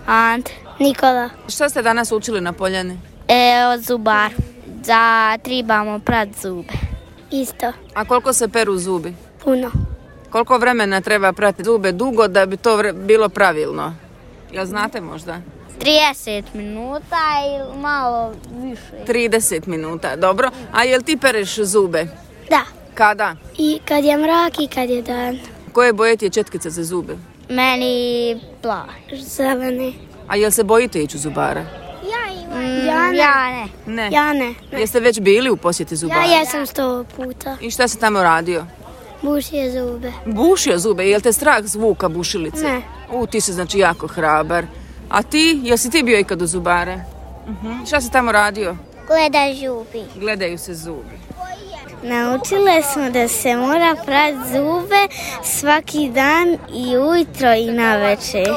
Ant. Nikola. Šta ste danas učili na Poljani? Od zubar. Da trebamo prati zube. Isto. A koliko se peru zubi? Puno. Koliko vremena treba prati zube dugo da bi to bilo pravilno? Jel znate možda? 30 minuta ili malo više. 30 minuta, dobro. A jel ti pereš zube? Da. Kada? I kad je mrak i kad je dan. Koje boje ti je četkica za zube? Meni plav. Zeleni. A jel se bojite ići u zubara? Ja ne. Ne. Ja ne. Jeste već bili u posjeti zubara? Ja jesam 100 puta. I šta si tamo radio? Bušio zube. Bušio zube, jel te strah zvuka bušilice? Ne. Ti si znači jako hrabar. A ti, jel si ti bio ikad u zubare? Šta si tamo radio? Gledaj zubi. Gledaju se zubi. Naučile smo da se mora prati zube svaki dan i ujutro i navečer.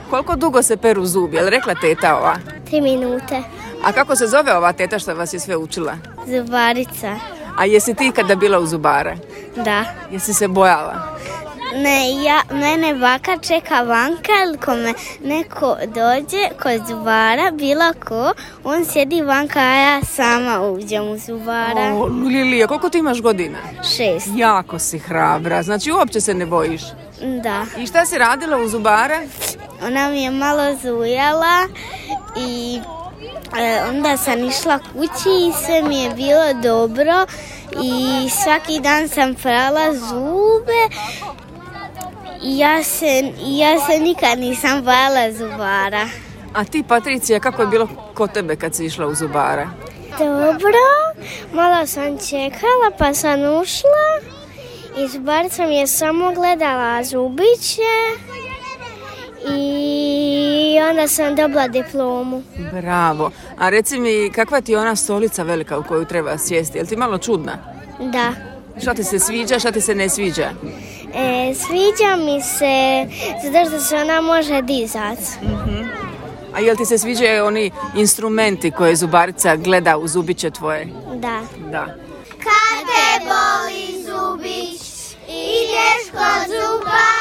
Koliko dugo se peru zubi, jel rekla teta ova? 3 minute. A kako se zove ova teta što vas je sve učila? Zubarica. A jesi ti ikada bila u zubare? Da. Jesi se bojala? Ne, mene baka čeka vanka, ili ko me neko dođe kod zubara, bilo ko, on sjedi vanka, a ja sama uđem u zubara. Lilija, koliko ti imaš godina? 6. Jako si hrabra, znači uopće se ne bojiš. Da. I šta si radila u zubare? Ona mi je malo zujala i onda sam išla kući i sve mi je bilo dobro i svaki dan sam prala zube i ja se nikad nisam bojala zubara. A ti, Patricija, kako je bilo kod tebe kad si išla u zubare? Dobro, malo sam čekala pa sam ušla i zubarica mi je samo gledala zubiće i onda sam dobila diplomu. Bravo. A reci mi, kakva ti je ona stolica velika u koju treba sjesti? Jel ti malo čudna? Da. Šta ti se sviđa, šta ti se ne sviđa? Sviđa mi se zato što se ona može dizati. A jel ti se sviđaju oni instrumenti koje zubarica gleda u zubiće tvoje? Da. Da. Kad te boli zubić, ideš kod zubara.